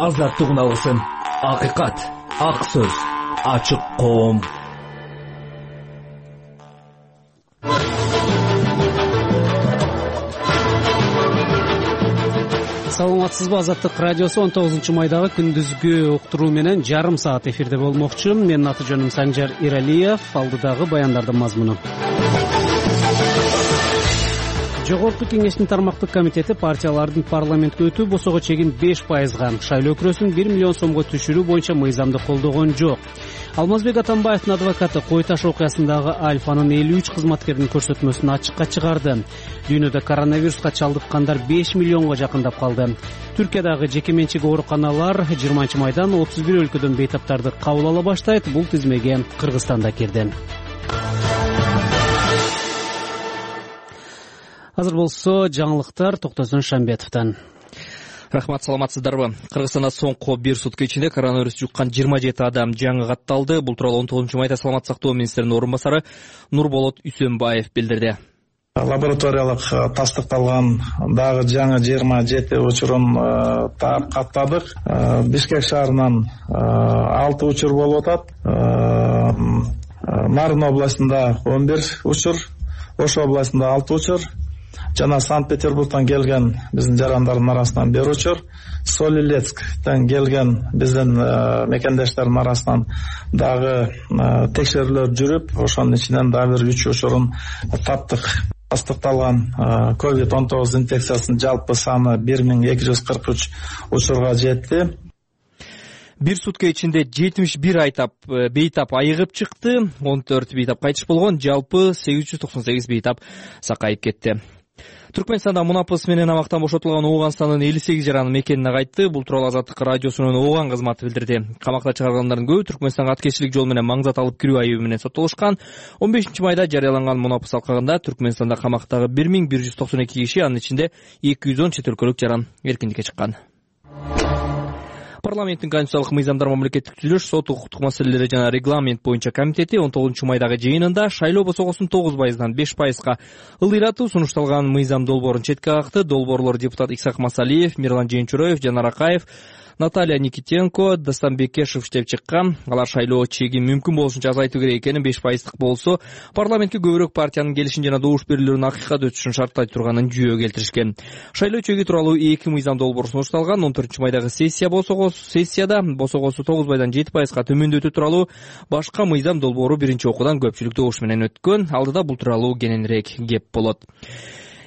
азаттык уналгысын. Акыйкат, ак сөз, ачык коом. Саламатсызбы, Азаттык радиосу 19-майдагы күндүзгү уктуруу менен жарым саат эфирде болмокчу. Менин аты жөнүм Санжар Иралиев. Алдыдагы баяндардын мазмуну. Жогорку кеңештин тармактык комитети партиялардын парламентке өтүү босого чегин 5%, шайлоо күрөсүн 1 миллион сомго түшүрүү боюнча мыйзамды колдогон жок. Алмазбек Атамбаевдин адвокаты Кой Таш окуясындагы Альфанын 53 кызматкердин көрсөтмөсүн ачыкка чыгарды. Дүйнөдө коронавируска чалдыккандар 5 миллионго жакындап калды. Түркиядагы жеке менчик ооруканалар 20-майдан 31 өлкөдөн бейтаптарды кабыл ала баштайт. Бул тизмеге Кыргызстан да кирди. Азыр болсо жаңылыктар Токтосун Шамбетовдон. Рахмат, саламатсыздарбы? Кыргызстанда соңку бир сутка ичинде коронавирус жуккан 27 адам жаңы катталды. Бул тууралуу 19-майда саламаттык сактоо министринин орун басары Нурболот Үсөнбаев билдирди. Лабораториялык тастыкталган дагы жаңы 27 учурун каттадык. Бишкек шаарынан 6 учур болуп атат. Нарын областында 11 учур, Ош областында 6 учур. Жана Санкт-Петербургдан келген биздин жарандардын арасынан 1 учур, Солилецктен келген биздин мекендештердин арасынан дагы текшерүүлөр жүрүп, ошонун ичинен дагы 3 учурун таптык. Тастыкталган COVID-19 инфекциясынын жалпы саны 1243 учурга жетти. Бир сутка ичинде 71 бейтап айыгып чыкты, 14 бейтап кайтыш болгон, жалпы 898 бейтап сакайып кетти. Түркмөнстанда мунапыс менен абактан бошотулган Ооганстандын 58 жараны мекенине кайтты. Бул тууралуу Азаттык радиосунун Ооган кызматы билдирди. Камакта чыгарылгандардын көбү Түркмөнстанга аткечилик жол менен маңзат алып кирүү айыбы менен соттолушкан. 15-майда жарыяланган мунапыс алкагында Түркмөнстанда камактагы 1192 киши, анын ичинде 210 чет өлкөлүк жаран эркиндикке чыккан. Парламенттин конституциялык мыйзамдар, мамлекеттик түзүлүш, сот укуктук маселелери жана регламент боюнча комитети 19-майдагы жыйынында шайлоо босогосун 9%дан 5%га ылдыйратуу сунушталган мыйзам долбоорун четке какты. Долбоорлор депутат Исак Масалиев, Мирлан Жээнчуроев, Жанар Акаев, Наталья Никитенко, Дастан Бекешев иштеп чыккан. Алар шайлоо чегин мүмкүн болушунча азайтуу керек экенин, 5%дык болсо парламентке көбүрөөк партиянын келишин жана добуш берүүлөрүн акыйкат өтүшүн шарттай турганын жүйө келтиришкен. Шайлоо чеги тууралуу 2 мыйзам долбоор сунушталган. 14-майдагы сессияда босогосу 9%дан 7%га төмөндөтүү тууралуу башка мыйзам долбоору биринчи окуудан көпчүлүк добуш менен өткөн. Алдыда бул тууралуу кененирээк кеп болот.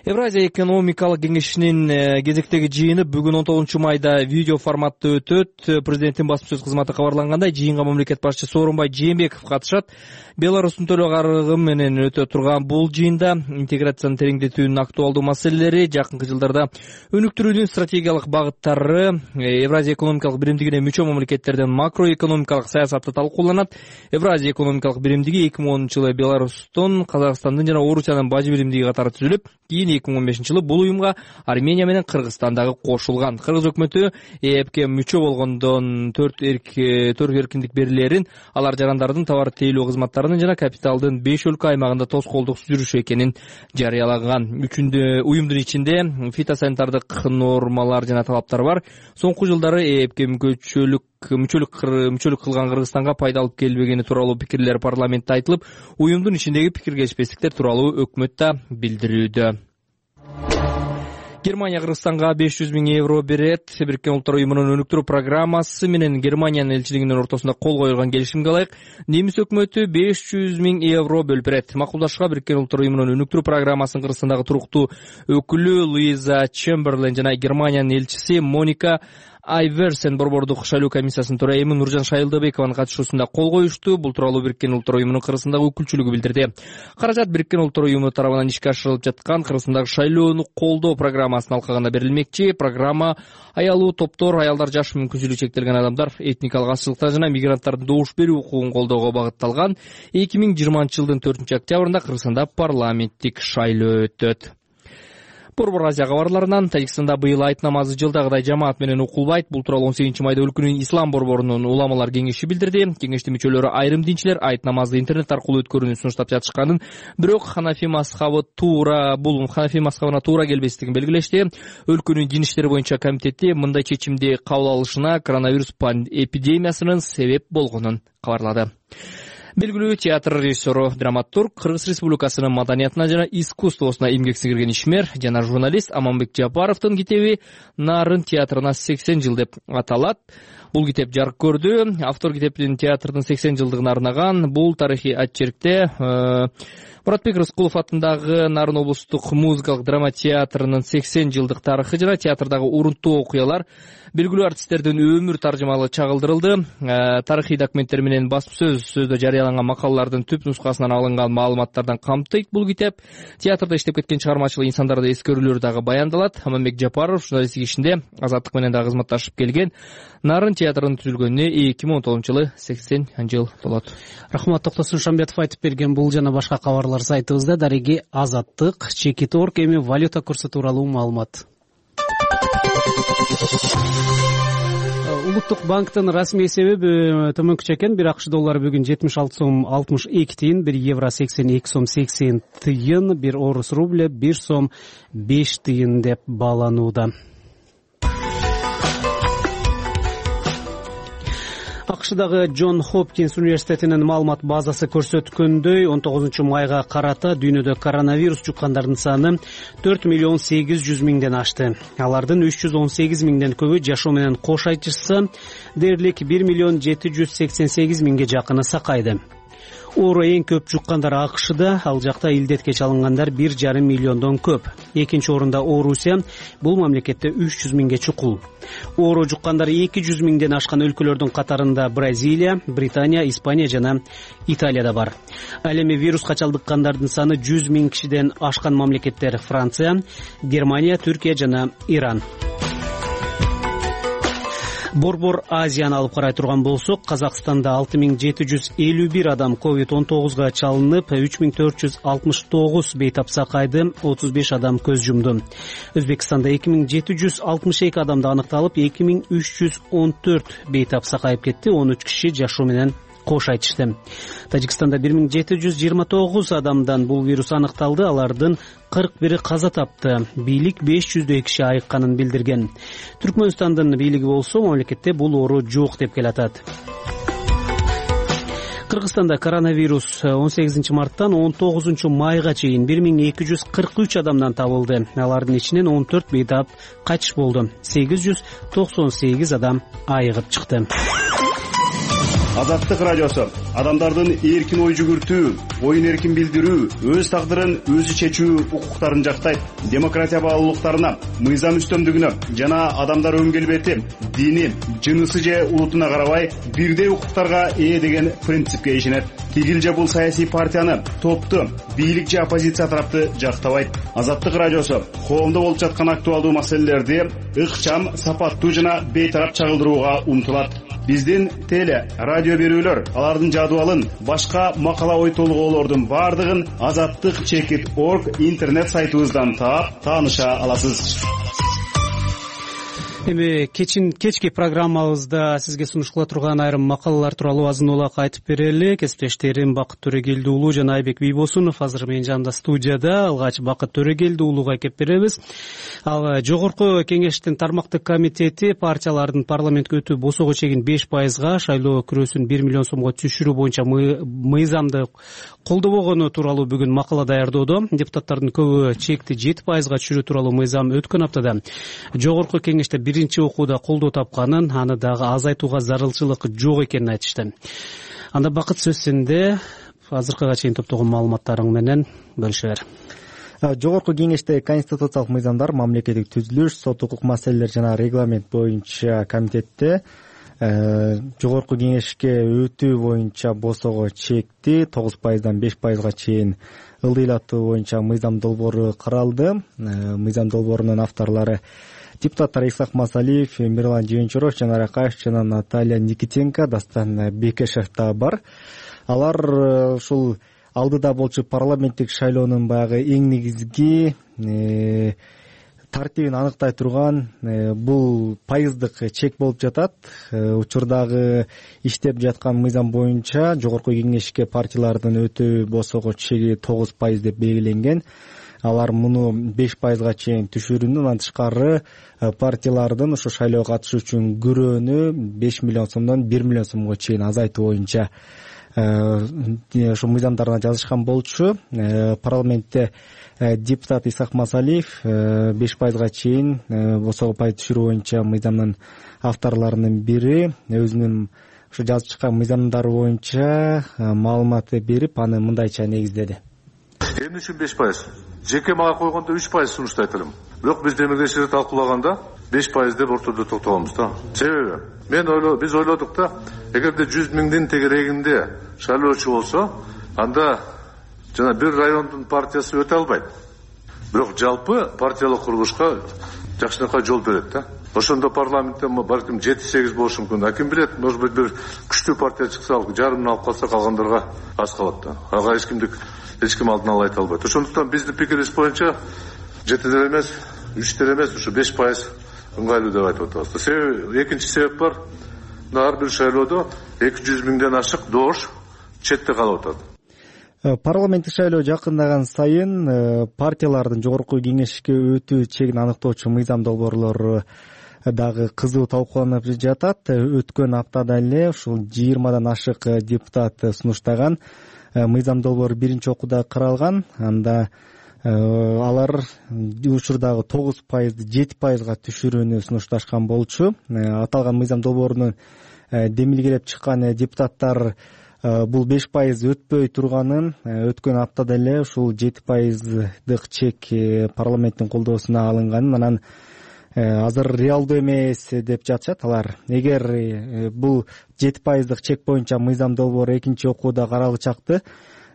Евразия экономикалык кеңешинин кезектеги жыйыны бүгүн 19-майда видео форматта өтөт. Президенттин басма сөз кызматы кабарлангандай, жыйынга мамлекет башчысы Сооронбай Жээнбеков катышат. Беларустун төлөө карыгы менен өтө турган бул жыйында интеграцияны тереңдетүүнүн актуалдуу маселелери, жакынкы жылдарда өнүктүрүүнүн стратегиялык багыттары, Евразия экономикалык биримдигине мүчө мамлекеттердин макроэкономикалык саясаты талкууланат. Евразия экономикалык биримдиги 2010-жылы Беларустун, Казакстандын жана Орусиянын бажы биримдиги катары түзүлүп, кийин 2015-жылы бул уюмга Армения менен Кыргызстан дагы кошулган. Кыргыз өкмөтү ЭЭПке мүчө болгондон 4 эркиндик берилерин, алар жарандардын товар тейлөө кызматтарынын жана капиталдын 5 өлкө аймагында тоскоолдуксуз жүрүшү экенин жарыялаган. Уюмдун ичинде фитосанитардык нормалар жана талаптар бар. Соңку жылдары ЭЭПке мүчөлүк кылган Кыргызстанга пайда алып келбегени тууралуу пикирлер парламентте айтылып, уюмдун ичиндеги пикир-келишпестиктер тууралуу өкмөт да билдирүүдө. Германия Кыргызстанга 500 000 евро берет. Бириккен Улуттар уюмунун өнүктүрүү программасы менен Германиянын элчилигинин ортосунда кол коюлган келишимге ылайык немис өкмөтү 500 000 евро бөлүп берет. Макулдашууга Бириккен Улуттар уюмунун өнүктүрүү программасынын Кыргызстандагы туруктуу өкүлү Луиза Чемберлен жана Германиянын элчиси Моника Айверсен борбордук шайлоо комиссиясынын төрайымы Нуржан Шайылдабекованын катышуусунда кол коюшту. Бул тууралуу Бириккен Улуттар уюмунун Кыргызстандагы өкүлчүлүгү билдирди. Каражат Бириккен Улуттар уюму тарабынан ишке ашырылып жаткан Кыргызстандагы шайлоону колдоо программасынын алкагында берилмекчи. Программа аялуу топтор, аялдар, жаш мүмкүнчүлүгү чектелген адамдар, этникалык азчылыктар жана мигранттардын добуш берүү укугун колдоого багытталган. 2020-жылдын 4-октябрында Кыргызстанда парламенттик шайлоо өтөт. Борбор Азия кабарларынан Тажикстанда быйыл айт намазы жылдагыдай жамаат менен окулбайт. Бул тууралуу 18-майда өлкөнүн ислам борборунун уламалар кеңеши билдирди. Кеңештин мүчөлөрү айрым динчилер айт намазды интернет аркылуу өткөрүүнү сунуштап жатышканын, бирок Ханафи мазхабына туура келбестигин белгилешти. Өлкөнүн дин иштери боюнча комитети мындай чечимди кабыл алышына коронавирус эпидемиясынын себеп болгонун кабарлады. Белгилүү театр режиссеру, драматург, Кыргыз Республикасынын маданиятына жана искусствосуна эмгек сиңирген ишмер жана журналист Аманбек Жапаровдун китеби Нарын театрына 80 жыл деп аталат. Бул китеп жарык көрдү. Автор китептин театрдын 80 жылдыгына арнаган. Бул тарыхый атчеркте Муратбек Рыскулов атындагы Нарын облустук музыкалык драма театрынын 80 жылдык тарыхы жана театрдагы урунттуу окуялар, белгилүү артисттердин өмүр таржымалы чагылдырылды. Тарыхый документтер менен баспасөздө жарыяланган макалалардын түп нускасынан алынган маалыматтардан камтыйт бул китеп. Театрда иштеп кеткен чыгармачылык инсандарды эскерүүлөр дагы баяндалат. Аманбек Жапаров журналисттик ишинде Азаттык менен дагы кызматташып келген. Нарын театрынын түзүлгөнүнө 2010-жылы 80 жыл толот. Рахмат, Токтосун Шамбетов айтып берген бул жана башка кабарлар сайтыбызда. Дареги Азаттык, Чекит.орг, эми валюта курсу тууралуу маалымат. Улуттук банктын расмий эсеби төмөнкүчө экен. Бир АКШ доллары бүгүн 76 сом 62 тыйын, 1 евро 82 сом 80 тыйын, 1 орус рубль 1 сом 5 тыйын деп бааланууда. АКШдагы Джон Хопкинс университетинин маалымат базасы көрсөткөндөй 19-майга карата дүйнөдө коронавирус жуккандардын саны 4.800.000 ашты. Алардын 318.000 көбү жашоо менен кош айтышса, дээрлик 1.788.000 жакыны сакайды. Оору эң көп жуккандар АКШда, ал жакта илдетке чалынгандар 1,5 миллиондон көп. Экинчи орунда Орусия, бул мамлекетте 300.000 чукул. Оору жуккандар 200.000 ашкан өлкөлөрдүн катарында Бразилия, Британия, Испания жана Италияда бар. Ал эми вируска чалдыккандардын саны 100.000 кишиден ашкан мамлекеттер Франция, Германия, Түркия жана Иран. Борбор Азияны алып карай турган болсок, Казакстанда 6751 адам COVID-19 чалынып, 3469 бейтап сакайды, 35 адам көз жумду. Өзбекстанда 2762 адамды аныкталып, 2314 бейтап сакайып кетти, 13 киши жашоо менен кош айтышты. Тажикстанда 1729 адамдан бул вирус аныкталды, алардын 41 каза тапты. Бийлик 500 киши айыкканын билдирген. Түркмөнстандын бийлиги болсо, мамлекетте бул оору жок деп келатат. Кыргызстанда коронавирус 18 марттан 19 майга чейин 1243 адамдан табылды. Алардын ичинен 14 бейтап кайтыш болду. 898 адам айыгып чыкты. Азаттык радиосу адамдардын эркин ой жүгүртүү, оюн эркин билдирүү, өз тагдырын өзү чечүү укуктарын жактайт. Демократия баалуулуктарына, мыйзам үстөмдүгүнө жана адамдар өн келбети, дини, жынысы же улутуна карабай бирдей укуктарга ээ деген принципке ишенет. Тигил же бул саясий партияны, топту, бийлик же оппозиция тарапты жактабайт. Азаттык радиосу коомдо болуп жаткан актуалдуу маселелерди ыкчам, сапаттуу жана бейтарап чагылдырууга умтулат. Биздин теле, радио берүүлөр, алардын жадыбалын, башка макала ой толгоолордун бардыгын Азаттык Чекит.орг интернет сайтыбыздан таап, тааныша аласыз. Эми кечки программабызда сизге сунуш кыла турган айрым макалалар тууралуу азын улак айтып берели. Кесиптештерим Бакыт Төрөгелди уулу жана Айбек Бийбосунов азыр менин жанымда студияда. Алгач Бакыт Төрөгелди уулуга кеп беребиз. Ал жогорку кеңештин тармактык комитети партиялардын парламентке өтүү босого чегин 5%, шайлоо күрөсүн 1 миллион сомго түшүрүү боюнча мыйзамды колдобогону тууралуу бүгүн макала даярдоодо. Депутаттардын көбү чекти 7%га түшүрүү тууралуу мыйзам өткөн аптада жогорку кеңеште биринчи окууда колдоо тапканын, аны дагы азайтууга зарылчылык жок экенин айтышты. Анда Бакыт, сөз сенде. Азыркыга чейин топтогон маалыматтарың менен бөлүшө бер. Жогорку кеңеште конституциялык мыйзамдар, мамлекеттик түзүлүш, сот укук маселелери жана регламент боюнча комитетте жогорку кеңешке өтүү боюнча босого чекти 9%дан 5%га чейин ылдыйлатуу боюнча мыйзам долбоору каралды. Мыйзам долбоорунун авторлору депутаттар Исхак Масалиев, Мирлан Жыйынчуров, Жанар Акаев жана Наталья Никитенко, Дастан Бекешев да бар. Алар ушул алдыда болчу парламенттик шайлоонун баягы эң негизги тартибин аныктай турган бул пайыздык чек болуп жатат. Учурдагы иштеп жаткан мыйзам боюнча жогорку кеңешке партиялардын өтүү босого чеги 9% деп белгиленген. Алар муну 5%га чейин түшүрүүнү, андан тышкары партиялардын ушу шайлоого катышуу үчүн күрөөнү 5 миллион сомдон 1 миллион сомго чейин азайтуу боюнча ушу мыйзамдарына жазышкан болчу. Парламентте депутат Исак Масалиев 5%га чейин босого пайыз түшүрүү боюнча мыйзамдын авторлорунун бири өзүнүн ушу жазып чыккан мыйзамдары боюнча маалымат берип, аны мындайча негиздеди. Эмне үчүн 5%? Жеке мага койгондо 3% сунуштайт элем. Бирок биз демилгечилерди талкуулаганда 5% деп ортодо токтолобуз да. Себеби биз ойлодук да, эгерде 100 миңдин тегерегинде шайлоочу болсо, анда жана бир райондун партиясы өтө албайт. Бирок жалпы партиялык курулушка жакшынакай жол берет да. Ошондо парламентте балким 7-8 болушу мүмкүн. Ким билет, может быть, бир күчтүү партия чыкса, жарымын алып калса, калгандарга аз калат да. Ага эч ким алдын ала айта албайт. Ошондуктан биздин пикирибиз боюнча 7 эмес, 3 эмес, ушу 5% ыңгайлуу деп айтып атабыз. Себеби экинчи себеп бар. Ар бир шайлоодо 200 миңден ашык доош четте калып атат. Парламенттик шайлоо жакындаган сайын партиялардын жогорку кеңешке өтүү чегин аныктоочу мыйзам долбоорлору дагы кызуу талкууланып жатат. Өткөн аптада эле ушул 20дан ашык депутат сунуштаган мыйзам долбоору биринчи окууда каралган. Анда алар учурдагы 9%, 7%га түшүрүүнү сунушташкан болчу. Аталган мыйзам долбоорунун демилгелеп чыккан депутаттар бул 5% өтпөй турганын, өткөн аптада эле ушул 7%дык чек парламенттин колдоосуна алынганын, анан азыр реалдуу эмес деп жатышат алар. Эгер бул 7%дык чек боюнча мыйзам долбоору экинчи окууда каралычакты,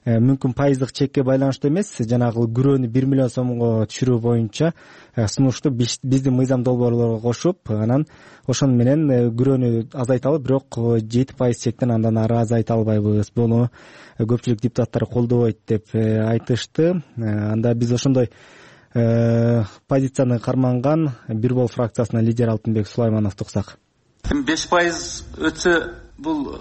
мүмкүн пайыздык чекке байланыштуу эмес, жанагы күрөөнү 1 миллион сомго түшүрүү боюнча сунушту биздин мыйзам долбоорлорго кошуп, анан ошону менен күрөөнү азайталы, бирок 7% чектен андан ары азайта албайбыз. Буну көпчүлүк депутаттар колдобойт деп айтышты. Анда биз ошондой позицияны карманган Бир Бол фракциясынын лидери Алтынбек Сулаймановду уксак. 5% өтсө бул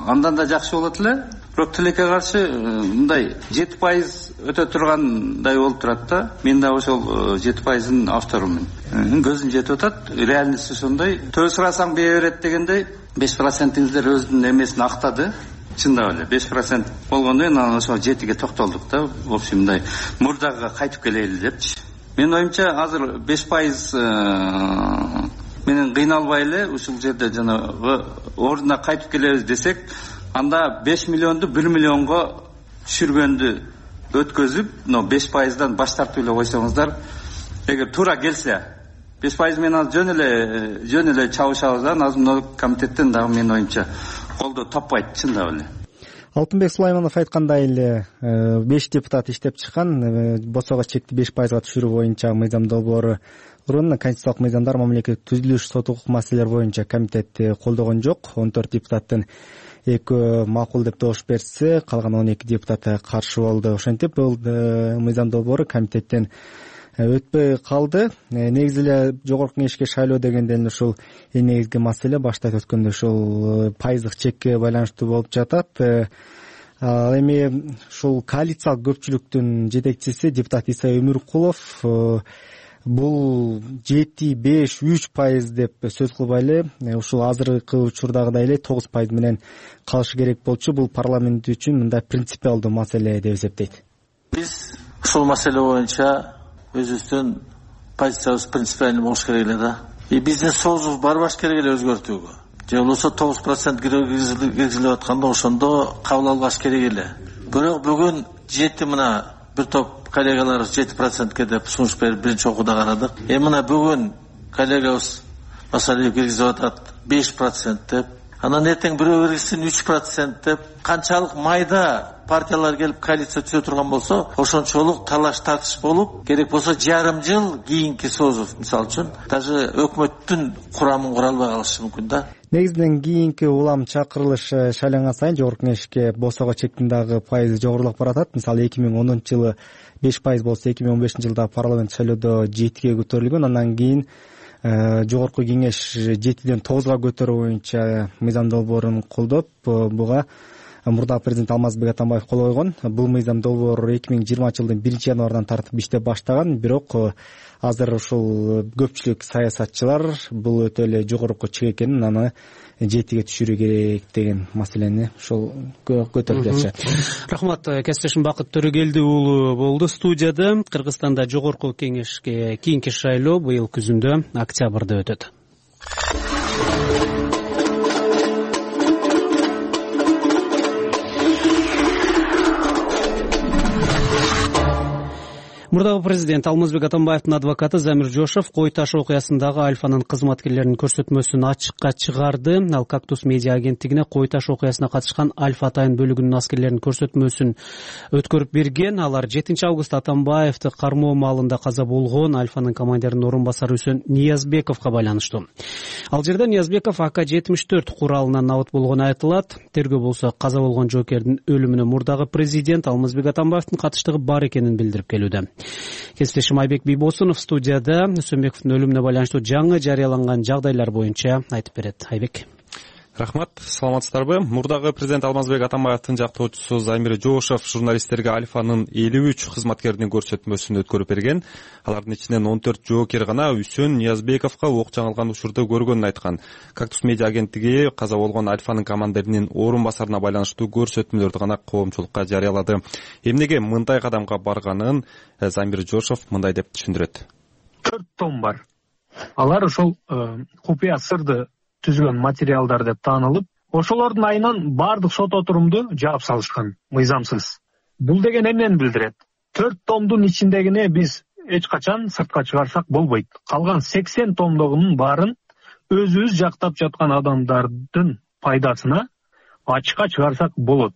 андан да жакшы болот эле. Бирок тилекке каршы мындай 7% өтө тургандай болуп турат да. Мен да ошол 7%-ын авторумун. Көзүм жетип атат. Реальность ошондой. Төө сурасаң бее берет дегендей 5%-иңиздер өзүнүн эмесин актады. Чындап эле 5% болгондон кийин анан ошо 7ге токтолдук да. В общем, мындай мурдага кайтып келели депчи. Менин оюмча азыр 5% менен кыйналбай эле ушул жерде жанагы ордуна кайтып келебиз десек, анда 5 миллионду 1 миллионго түшүргөндү өткөзүп, 5%дан баш тартып эле койсоңуздар, эгер туура келсе 5% менен жөн эле чабышабыз да. Назмдоо комитеттен дагы менин оюмча колдоо таппайт, чындап эле. Алтынбек Сулайманов айткандай эле 5 депутат иштеп чыккан босого чекти 5%га түшүрүү боюнча мыйзам долбоору Конституциялык мыйзамдар, мамлекеттик түзүлүш, сот укук маселелер боюнча комитетти колдогон жок. 14 депутаттын 2 макул деп добуш берсе, калган 12 депутат каршы болду. Ошентип бул мыйзам долбоору комитеттен өтпөй калды. Негизи эле жогорку кеңешке шайлоо дегенден ушул эң негизги маселе башта өткөндө ушул пайыздык чекке байланыштуу болуп жатат. Эми ушул коалициялык көпчүлүктүн жетекчиси депутат Иса Өмүркулов бул 7-5-3% деп сөз кылбай эле ушул азыркы учурдагыдай эле 9% менен калышы керек болчу. Бул парламент үчүн мындай принципиалдуу маселе деп эсептейт. Биз ушул маселе боюнча өзүбүздүн позициябыз принципиальный болуш керек эле да. Биздин соозубуз барбаш керек эле өзгөртүүгө. Же болбосо 9% киргизилип атканда ошондо кабыл албаш керек эле. Бирок бүгүн 7 мына бир топ коллегалар 7%ке деп сунуш берип биринчи окууда карадык. Мына бүгүн коллегабыз Масалиев киргизип атат 5% деп. Анан эртең бирөө киргизсин 3% деп. Канчалык майда партиялар келип коалиция түзө турган болсо, ошончолук талаш тартыш болуп, керек болсо жарым жыл кийинки соозов, мисалы үчүн, даже өкмөттүн курамын кура албай калышы мүмкүн да. Негизинен кийинки улам чакырылыш шайланган сайын жогорку кеңешке босого чектин дагы пайызы жогорулап баратат. Мисалы 2010 жылы 5% болсо 2015-жылда парламент шайлоодо 7-ге көтөрүлгөн. Андан кийин жогорку кеңеш 7-ден 9-га көтөрүү боюнча мыйзам долбоорун колдоп, буга мурдагы президент Алмазбек Атамбаев кол койгон. Бул мыйзам долбоор 2020-жылдын 1-январынан тартып иштеп баштаган, бирок азыр ушул көпчүлүк саясатчылар бул өтө эле жогорку чек экенин, аны 7-ге түшүрүү керек деген маселени ошол көтөрүп жатышат. Рахмат, кесиптешим Бакыт Төрөгелди уулу болду студияда. Кыргызстанда жогорку кеңешке кийинки шайлоо быйыл күзүндө октябрда өтөт. Мурдагы президент Алмазбек Атамбаевдин адвокаты Замир Жошов Кой таш окуясындагы Альфанын кызматкерлеринин көрсөтмөсүн ачыкка чыгарды. Ал Кактус медиа агенттигине Кой таш окуясына катышкан Альфа Атайын бөлүгүнүн аскерлеринин көрсөтмөсүн өткөрүп берген. Алар 7-августта Атамбаевди кармоо маалында каза болгон Альфанын командиринин орун басары Үсөн Ниязбековго байланыштуу. Ал жерде Ниязбеков АК-74 куралынан набыт болгону айтылат. Тергөө болсо каза болгон жоокердин өлүмүнө мурдагы президент Алмазбек Атамбаевдин катыштыгы бар экенин билдирип келүүдө. Кесиптешим Айбек Бийбосунов студияда Үсөнбековдун өлүмүнө байланыштуу жаңы жарыяланган жагдайлар боюнча айтып берет. Айбек. Рахмат, саламатсыздарбы? Мурдагы президент Алмазбек Атамбаевдин жактоочусу Замир Жошов журналисттерге Альфанын 53 кызматкеринин көрсөтмөсүн өткөрүп берген. Алардын ичинен 14 жоокер гана Үсөн Ниязбековго ок жаңылган учурду көргөнүн айткан. Кактус медиа агенттиги каза болгон Альфанын командиринин орун басарына байланыштуу көрсөтмөлөрдү гана коомчулукка жарыялады. Эмнеге мындай кадамга барганын Замир Жошов мындай деп түшүндүрөт. 4 том бар. Алар ошол купуя сырды түзгөн материалдар деп таанылып, ошолордун айынан баардык сот отурумду жаап салышкан, мыйзамсыз. Бул деген эмнени билдирет? 4 томдун ичиндегине биз эч качан сыртка чыгарсак болбойт. Калган 80 томдогунун баарын өзүбүз жактап жаткан адамдардын пайдасына ачыкка чыгарсак болот.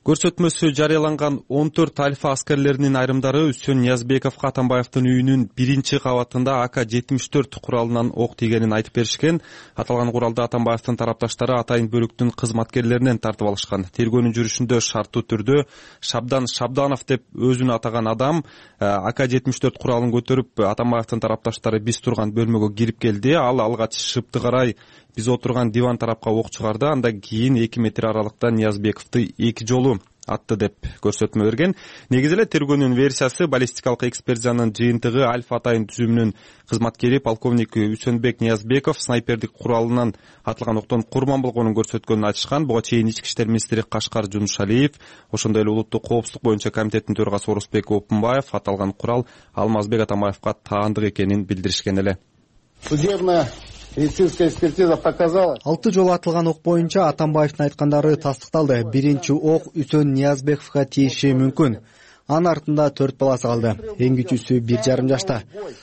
Көрсөтмөсү жарыяланган 14 Альфа аскерлеринин айрымдары Үсөн Ниязбековго Атамбаевдин үйүнүн 1-кабатында АК-74 куралынан ок тийгенин айтып беришкен. Аталган куралды Атамбаевдин тарапташтары Атайын бөлүктүн кызматкерлеринен тартып алышкан. Тергөөнүн жүрүшүндө шарттуу түрдө Шабдан Шабданов деп өзүн атаган адам АК-74 куралын көтөрүп Атамбаевдин тарапташтары биз турган бөлмөгө кирип келди. Ал алгач шыпты карай биз отурган диван тарапка ок чыгарды. Андан кийин 2 метр аралыкта Ниязбековду 2 жолу атты деп көрсөтмө берген. Негизи эле тергөөнүн версиясы баллистикалык экспертизанын жыйынтыгы Альфа Атайын түзүмүнүн кызматкери полковник Үсөнбек Ниязбеков снайпердик куралынан атылган октон курман болгонун көрсөткөнүн айтышкан. Буга чейин ички иштер министри Кашкар Жунушалиев, ошондой эле улуттук коопсуздук боюнча комитеттин төрагасы Орусбек Опунбаев аталган курал Алмазбек Атамбаевга таандык экенин билдиришкен эле. Медицинская экспертиза показала. 6 жолу атылган ок боюнча Атамбаевдин айткандары тастыкталды. Биринчи ок Үсөн Ниязбековго тийиши мүмкүн. Анын артында 4 баласы калды. Эң кичүүсү 1,5 жашта.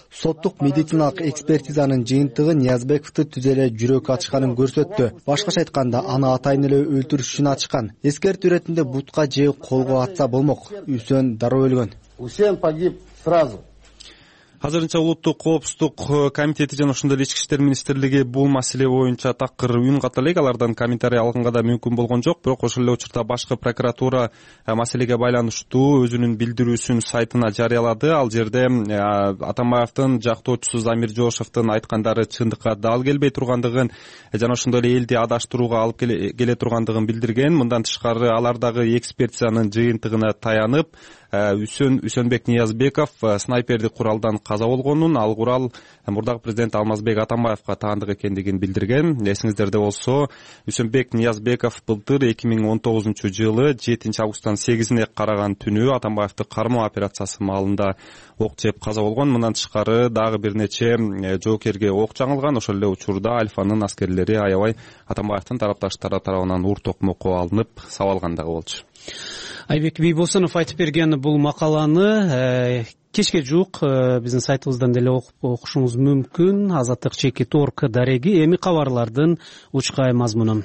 Соттук медициналык экспертизанын жыйынтыгы Ниязбековду түз эле жүрөк ачышканын көрсөттү. Башкача айтканда, аны Атайын эле өлтүрүш үчүн ачышкан. Эскертүү иретинде бутка же колго атса болмок. Үсөн дароо өлгөн. Үсөн погиб сразу. Азырынча улуттук коопсуздук комитети жана ошондой эле ички иштер министрлиги бул маселе боюнча такыр үн ката элек. Алардан комментарий алганга да мүмкүн болгон жок. Бирок ошол эле учурда башкы прокуратура маселеге байланыштуу өзүнүн билдирүүсүн сайтына жарыялады. Ал жерде Атамбаевдин жактоочусу Замир Жошовдун айткандары чындыкка дал келбей тургандыгын жана ошондой эле элди адаштырууга алып келе тургандыгын билдирген. Мындан тышкары алар дагы экспертизанын жыйынтыгына таянып, Үсөнбек Ниязбеков снайпердик куралдан каза болгонун, ал курал мурдагы президент Алмазбек Атамбаевга таандык экендигин билдирген. Эсиңиздерде болсо, Үсөнбек Ниязбеков былтыр 2019-жылы 7-августтан 8-ине караган түнү Атамбаевди кармоо операциясы маалында ок жеп каза болгон. Мындан тышкары дагы бир нече жоокерге ок жаңылган. Ошол эле учурда Альфанын аскерлери аябай Атамбаевдин тарапташтары тарабынан ур токмокко алынып сабалган дагы болчу. Айбек Бийбосунов айтып берген бул макаланы кечке жуук биздин сайтыбыздан деле окушуңуз мүмкүн. Азаттык /.org дареги. Эми кабарлардын учкай мазмуну.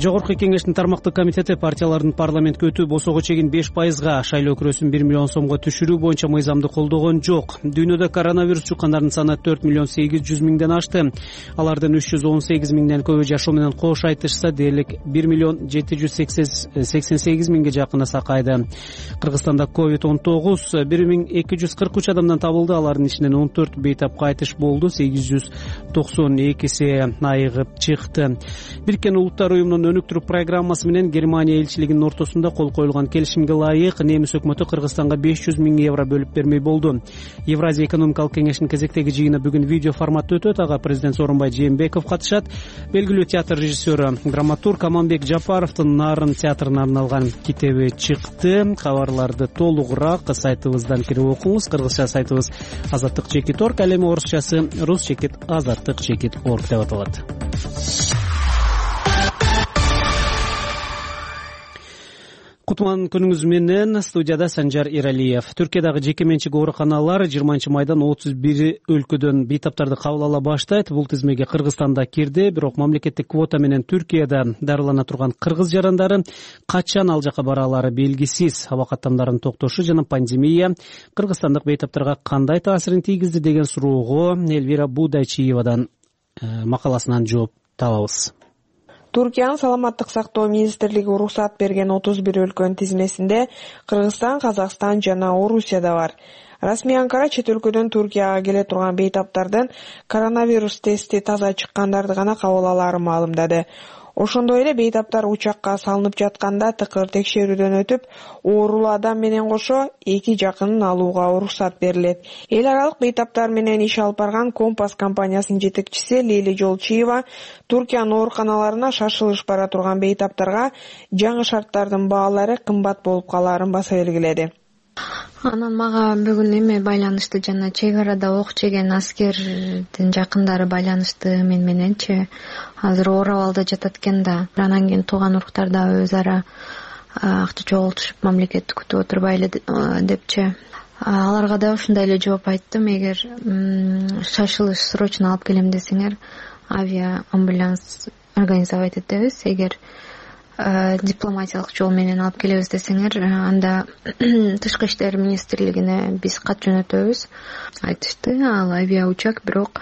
Жогорку кеңештин тармактык комитети партиялардын парламентке өтүү босого чегин 5%, шайлоо күрөсүн 1 миллион сомго түшүрүү боюнча мыйзамды колдогон жок. Дүйнөдө коронавирус жуккандардын саны 4 миллион 800 миңден ашты. Алардын 318 миңден көбү жашоо менен кош айтышса, дээрлик 1 миллион 788 миңге жакын сакайды. Кыргызстанда COVID-19 1243 адамдан табылды. Алардын ичинен 14 бейтап кайтыш болду, 892 айыгып чыкты. Бириккен Улуттар уюмунун өнүктүрүү программасы менен Германия элчилигинин ортосунда кол коюлган келишимге ылайык немис өкмөтү Кыргызстанга 500 миң евро бөлүп бермей болду. Евразия экономикалык кеңештин кезектеги жыйыны бүгүн видео форматта өтөт. Ага президент Сооронбай Жээнбеков катышат. Белгилүү театр режиссеру, драматург Аманбек Жапаровдун Нарын театрына арналган китеби чыкты. Кабарларды толугураак сайтыбыздан кирип окуңуз. Кыргызча сайтыбыз azattik.org, ал эми орусчасы rus.azattik.org деп аталат. Кутман күнүңүз менен, студияда Санжар Иралиев. Түркиядагы жеке менчик ооруканалар 20 майдан 31 өлкөдөн бейтаптарды кабыл ала баштайт. Бул тизмеге Кыргызстан да кирди, бирок мамлекеттик квота менен Түркияда дарылана турган кыргыз жарандары качан ал жака бара алары белгисиз. Аба каттамдарын токтошу жана пандемия кыргызстандык бейтаптарга кандай таасирин тийгизди деген суроого Элвира Будайчиевадан макаласынан жооп табабыз. Туркиянын саламаттык сактоо министрлиги уруксат берген 31 өлкөнүн тизмесинде Кыргызстан, Казакстан жана Орусия да бар. Расмий Анкара чет өлкөдөн Туркияга келе турган бейтаптардын коронавирус тести таза чыккандарды гана кабыл алаарын маалымдады. Ошондой эле бейтаптар учакка салынып жатканда тыкыр текшерүүдөн өтүп, оорулуу адам менен кошо 2 жакынын алууга уруксат берилет. Эл аралык бейтаптар менен иш алып барган Компас компаниясынын жетекчиси Лейли Жолчиева Туркиянын ооруканаларына шашылыш бара турган бейтаптарга жаңы шарттардын баалары кымбат болуп калаарын баса белгиледи. Анан мага бүгүн эме байланышты, жана чек арада ок жеген аскердин жакындары байланышты мен мененчи. Азыр Оравалда жатат экен да. Анан кийин тууган уруктар да өз ара акча чогултушуп мамлекетти күтүп отурбайлы депчи. Аларга да ушундай эле жооп айттым. Эгер шашылыш срочно алып келем десеңер, авиа амбуланс организовать этебиз. Эгер дипломатиялык жол менен алып келебиз десеңер, анда Тышкы иштер министрлигине биз кат жөнөтөбүз. Айтышты, ал авиаучак бирок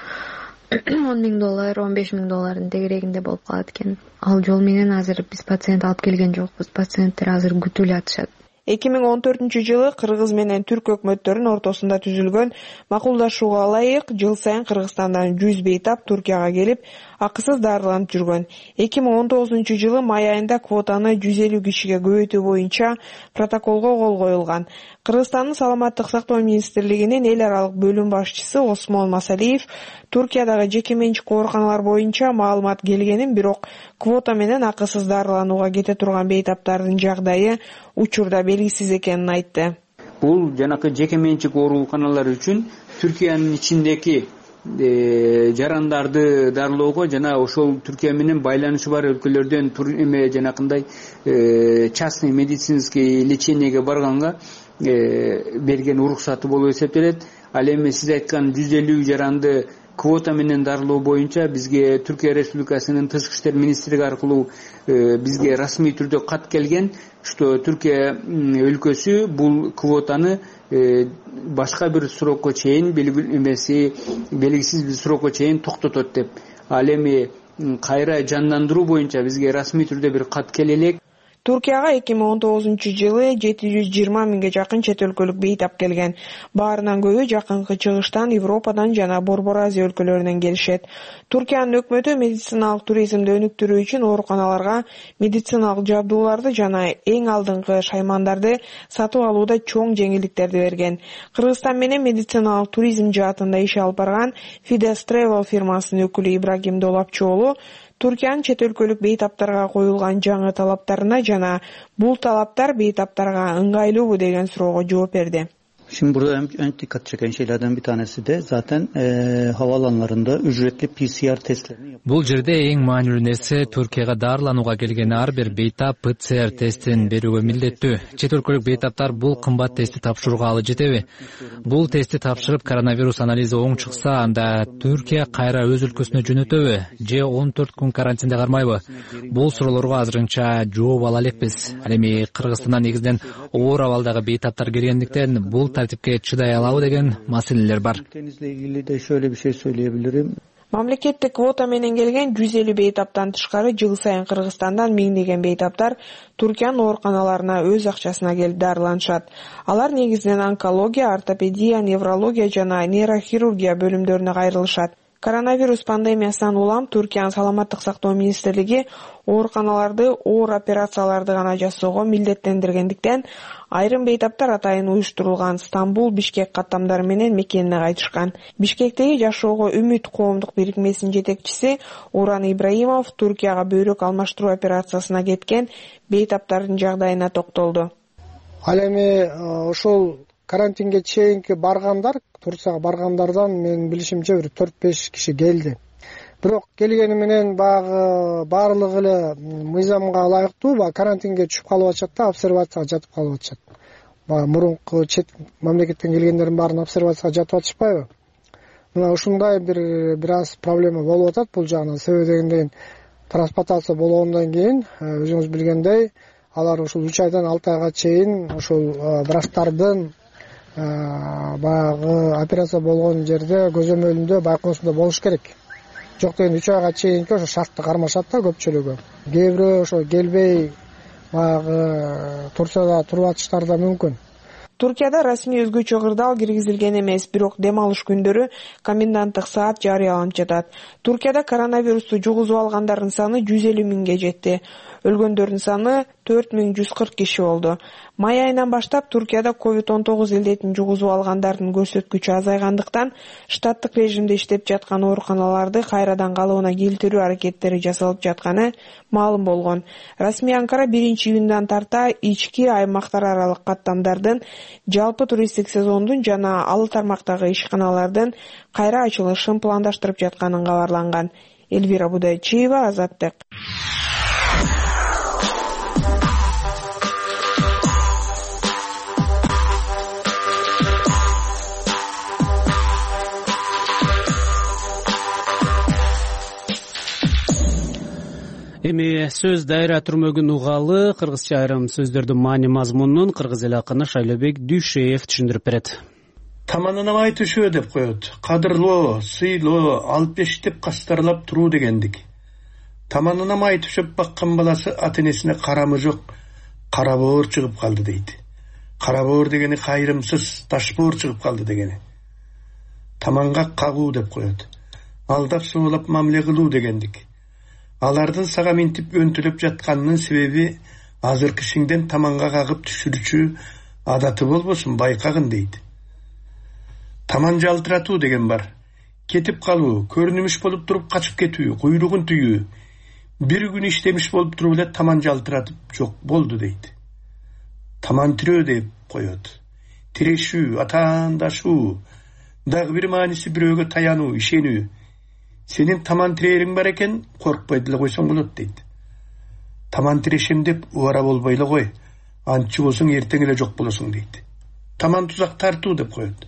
$10,000, $15,000 тегерегинде болуп калат экен. Ал жол менен азыр биз пациент алып келген жокпуз. Пациенттер азыр күтүлүп атышат. 2014-жылы Кыргыз менен Түрк өкмөттөрүнүн ортосунда түзүлгөн макулдашууга ылайык жыл сайын Кыргызстандан 100 бейтап Туркияга келип, акысыз дарыланып жүргөн. 2019-жылы май айында квотаны 150 кишиге көбөйтүү боюнча протоколго кол коюлган. Кыргызстандын саламаттык сактоо министрлигинин эл аралык бөлүм башчысы Осмон Масалиев Туркиядагы жеке менчик ооруканалар боюнча маалымат келгенин, бирок квота менен акысыз дарыланууга кете турган бейтаптардын жагдайы учурда белгисиз экенин айтты. Бул жанакы жеке менчик ооруканалар үчүн Түркиянын ичиндеги жарандарды дарылоого жана ошол Түркия менен байланышы бар өлкөлөрдөн жанакындай частный медицинский лечениеге барганга берген уруксаты болуп эсептелет. Ал эми сиз айткан 150 жаранды квота менен дарылоо боюнча бизге Түркия Республикасынын Тышкы иштер министрлиги аркылуу бизге расмий түрдө кат келген, что Түркия өлкөсү бул квотаны башка бир срокко чейин белгисиз бир срокко чейин токтотот деп. Ал эми кайра жандандыруу боюнча бизге расмий түрдө бир кат келе элек. Туркияга 2019-жылы 720 миңге жакын чет өлкөлүк бейтап келген. Баарынан көбү жакынкы чыгыштан, Европадан жана Борбор Азия өлкөлөрүнөн келишет. Туркиянын өкмөтү медициналык туризмди өнүктүрүү үчүн ооруканаларга медициналык жабдууларды жана эң алдыңкы шаймандарды сатып алууда чоң жеңилдиктерди берген. Кыргызстан менен медициналык туризм жаатында иш алып барган Fides Travel фирмасынын өкүлү Ибрагим Долапчоолу Туркиянын чет өлкөлүк бейтаптарга коюлган жаңы талаптарына жана бул талаптар бейтаптарга ыңгайлуубу деген суроого жооп берди. Şimdi burada en dikkat çeken şeylerden bir tanesi de zaten havaalanlarında ücretli PCR testlerini yapıyor. Бул жерде эң маанилүү нерсе Түркияга дарыланууга келген ар бир бейтап ПЦР тестин берүүгө милдеттүү. Чет өлкөлүк бейтаптар бул кымбат тестти тапшырууга алы жетеби? Бул тестти тапшырып коронавирус анализи оң чыкса, анда Түркия кайра өз өлкөсүнө жөнөтөбү же 14 күн карантинде кармайбы? Бул суроолорго азырынча жооп ала элекпиз. Ал эми Кыргызстандан негизинен оор абалдагы бейтаптар келгендиктен бул тартипке чыдай алабы деген маселелер бар. Denizle ilgili de şöyle bir şey söyleyebilirim. Мамлекеттик квота менен келген 150 бейтаптан тышкары жыл сайын Кыргызстандан миңдеген бейтаптар Түркиянын ооруканаларына өз акчасына келип дарыланышат. Алар негизинен онкология, ортопедия, неврология жана нейрохирургия бөлүмдөрүнө кайрылышат. Коронавирус пандемиясынан улам Түркиянын саламаттык сактоо министрлиги ооруканаларды оор операцияларды гана жасоого милдеттендиргендиктен айрым бейтаптар атайын уюштурулган Стамбул, Бишкек каттамдары менен мекенине кайтышкан. Бишкектеги Жашоого үмүт коомдук бирикмесинин жетекчиси Уран Ибраимов Түркияга бөйрөк алмаштыруу операциясына кеткен бейтаптардын жагдайына токтолду. Ал эми ошол карантинге чейинки баргандар, Турцияга баргандардан менин билишимче бир 4-5 киши келди. Бирок келгени менен баягы баардыгы эле мыйзамга ылайыктуу карантинге түшүп калып атышат да, обсервацияга жатып калып атышат. Мурунку чет мамлекеттен келгендердин баарын обсервацияга жатып атышпайбы? Мына ушундай бир аз проблема болуп атат бул жагынан. Себеби дегенден трансплантация болгондон кийин өзүңүз билгендей, алар ушул 3 айдан 6 айга чейин ушул врачтардын баягы операция болгон жерде көзөмөлүндө байкоосунда болуш керек. Жок дегенде 3 айга чейинки ошо шартты кармашат да көпчүлүгү. Кээ бирөө ошо келбей баягы Турцияда туруп атыштары да мүмкүн. Түркияда расмий өзгөчө кырдаал киргизилген эмес, бирок дем алыш күндөрү коменданттык саат жарыяланып жатат. Туркияда коронавирусту жугузуп алгандардын саны 150 миңге жетти. Өлгөндөрдүн саны 4140 киши болду. Май айынан баштап Туркияда COVID-19 илдетин жугузуп алгандардын көрсөткүчү азайгандыктан штаттык режимде иштеп жаткан ооруканаларды кайрадан калыбына келтирүү аракеттери жасалып жатканы маалым болгон. Расмий Анкара 1-июндан тарта ички аймактар аралык каттамдардын, жалпы туристтик сезондун жана ал тармактагы ишканалардын кайра ачылышын пландаштырып жатканын кабарланган. Элвира Будайчиева, Азаттык. Эми сөз дайра түрмөгүн угалы, кыргызча айрым сөздөрдүн маани мазмунун кыргыз эл акыны Шайлобек Дүйшеев түшүндүрүп берет. Таманына май түшөө деп коет. Кадырлоо, сыйлоо, алып бештеп кастарлап туруу дегендик. Таманына май түшөп баккан баласы ата-энесине карамы жок, карабоор чыгып калды дейт. Карабоор дегени кайрымсыз, ташбоор чыгып калды дегени. Таманга кагуу деп коет. Алдап соолап мамиле кылуу дегендик. Алардын сага минтип өнтүлөп жатканынын себеби азыр кишиңден таманга кагып түшүрүүчү адаты болбосун, байкагын дейт. Таман жалтыратуу деген бар. Кетип калуу, көрүнүмүш болуп туруп качып кетүү, куйругун түйүү. Бир күн иштемиш болуп туруп эле таман жалтыратып жок болду дейт. Таман тирөө деп коет. Тирешүү, атаандашуу, дагы бир мааниси бирөөгө таянуу, ишенүү. Сенин таман тирээриң бар экен, коркпой деле койсоң болот дейт. Таман тирешем деп убара болбой эле кой. Антчы болсоң эртең эле жок болосуң дейт. Таман тузак тартуу деп коет.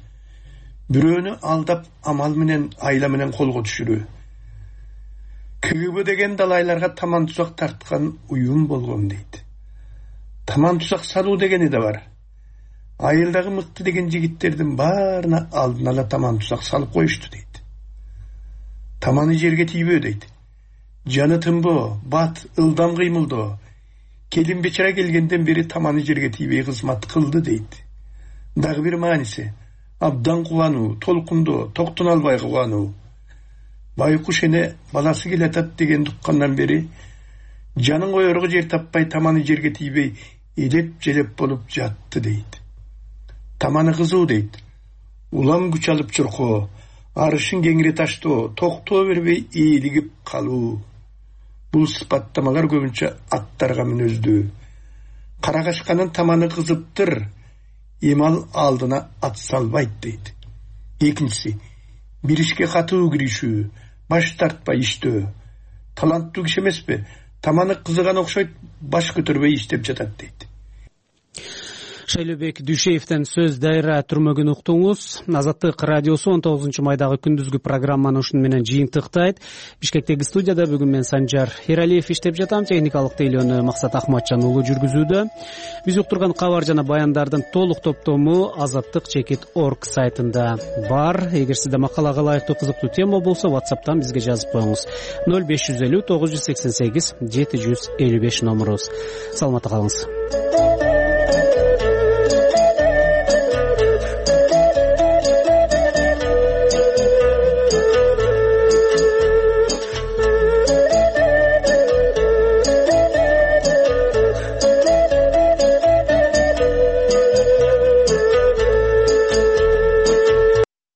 Бирөөнү алдап амал менен, айла менен колго түшүрүү. КГБ деген далайларга таман тузак тарткан уюм болгон дейт. Таман тузак салуу дегени да бар. Айылдагы мыкты деген жигиттердин баарына алдын ала таман тузак салып коюшту дейт. Таманы жерге тийбөө дейт. Жаны тынбоо, бат, ылдам кыймылдоо. Келин бечара келгенден бери таманы жерге тийбей кызмат кылды дейт. Дагы бир мааниси абдан кубануу, толкундоо, токтоно албай кубануу. Байкуш эне баласы келатат деген туккандан бери жанын коерго жер таппай таманы жерге тийбей элеп-желеп болуп жатты дейт. Таманы кызуу дейт. Улам күч алып чуркоо, арышын кеңире таштоо, токтоо бербей ийилигип калуу. Бул сыпаттамалар көбүнчө аттарга мүнөздүү. Карагашканын таманы кызыптыр, эмал алдына ат салбайт дейт. Экинчиси, бир ишке катуу киришүү, баш тартпай иштөө. Таланттуу киши эмеспи, таманы кызыган окшойт, баш көтөрбөй иштеп жатат дейт. Шайлообек Дүйшеевден сөз дайра түрмөгүн уктуңуз. Азаттык радиосу 19 майдагы күндүзгү программаны ушуну менен жыйынтыктайт. Бишкектеги студияда бүгүн мен Санжар Эралиев иштеп жатам. Техникалык тейлөөнү Максат Ахматжан уулу жүргүзүүдө. Биз уктурган кабар жана баяндардын толук топтому azattik.org сайтында бар. Эгер сизде макалага ылайыктуу кызыктуу тема болсо, WhatsApp'тан бизге жазып коюңуз. 0550 988 755 номерубуз. Саламатта калыңыз.